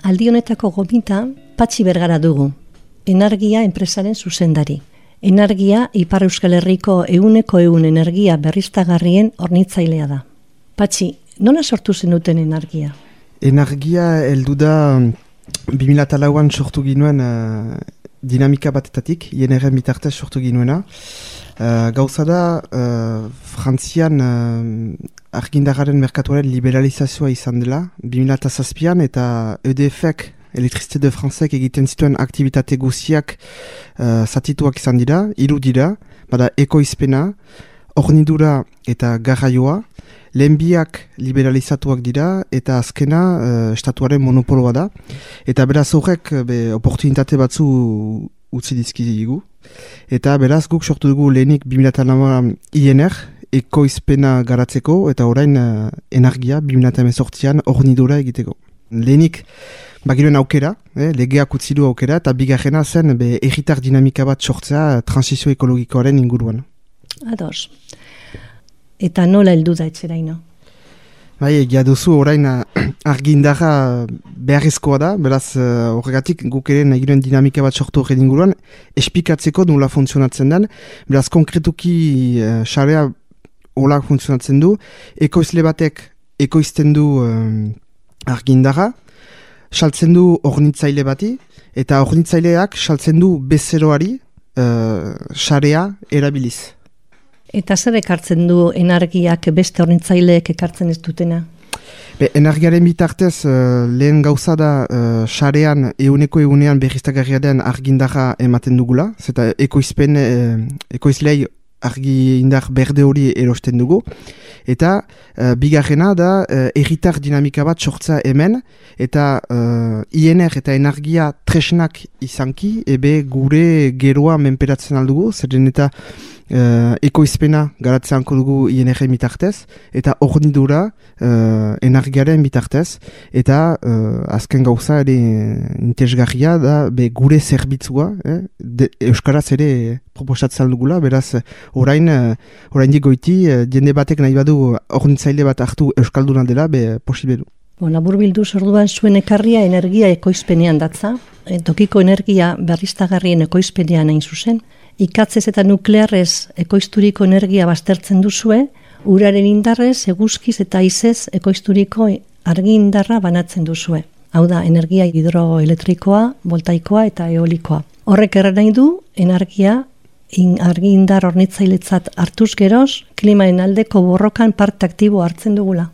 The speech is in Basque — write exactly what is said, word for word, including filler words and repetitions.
Aldi honetako gomita Patxi Bergara dugu, Energia enpresaren zuzendari. Energia Ipar Euskal Herriko ehuneko ehun energia berriztagarrien hornitzailea da. Patxi, nola sortu zenuten Energia? Energia heldu da bi mila lauan sortu ginuen uh, dinamika batetatik, I N R-en bitartez sortu ginuena. Uh, gauza da, uh, Frantzian uh, argindarraren merkatuaren liberalizazioa izan dela, bi mila zazpian eta E D F-ek, Elektrizite de Francek egiten zituen aktivitate guziak uh, zatituak izan dira, hiru dira, bada ekoizpena, hornidura eta garraioa, lehen biak liberalizatuak dira eta azkena uh, estatuaren monopoloa da. Eta beraz horrek be, oportunitate batzu utzi dizkigu. Eta beraz guk sortu dugu lehenik bi mila lauan I N R, ekoizpena garatzeko, eta orain uh, Energia bi mila hemezortzian hornidura egiteko. Lehenik bagiren aukera, eh, legeak utzi du aukera, eta bigarrena zen be, erritar dinamika bat sortzea transizio ekologikoaren inguruan. Ados. Eta nola heldu da etxeraino? Bai, egia duzu orain argindarra beharrezkoa da, beraz horregatik guk ere nahi giren dinamika bat sortu horren inguruan, espikatzeko nola funtzionatzen den, beraz konkretuki xarea uh, hola funtzionatzen du, ekoizle batek ekoizten du uh, argindarra, saltzen du hornitzaile bati, eta hornitzaileak saltzen du bezeroari xarea uh, erabiliz. Eta zer ekartzen du Energiak beste hornitzaileek ekartzen ez dutena? Be, Energiaren bitartez uh, lehen gauza da xarean uh, euneko eunean berriztagarria den argindarra ematen dugula, zeta ekoizpen, uh, ekoizlei argindar berde hori erosten dugu. Eta uh, bigarrena da uh, erritar dinamika bat sortza hemen, eta uh, I N R eta Energia tresnak izanki, ebe gure geroa menperatzen aldugu, zeren eta uh, ekoizpena garatzeanko dugu I N R bitartez, eta hornidura uh, Energiaren bitartez, eta uh, azken gauza ere interesgarria da be gure zerbitzua, eh? De, Euskaraz ere proposatzen dugula, beraz orain, uh, orain digoiti, uh, jende batek nahi badu hornitzaile bat hartu euskalduna dela, be posible du. Bon, labur bildu orduan zuen ekarria Energia ekoizpenean datza, e, tokiko energia berriztagarrien ekoizpenean hain zuzen, ikatzez eta nuklearrez ekoizturiko energia baztertzen duzue, uraren indarrez, eguzkiz eta haizez ekoizturiko argi indarra banatzen duzue. Hau da, energia hidroelektrikoa, voltaikoa eta eolikoa. Horrek erra nahi du, Energia in, argi indar hornitzailetzat hartuz geroz, klimaen aldeko borrokan parte aktibo hartzen dugula.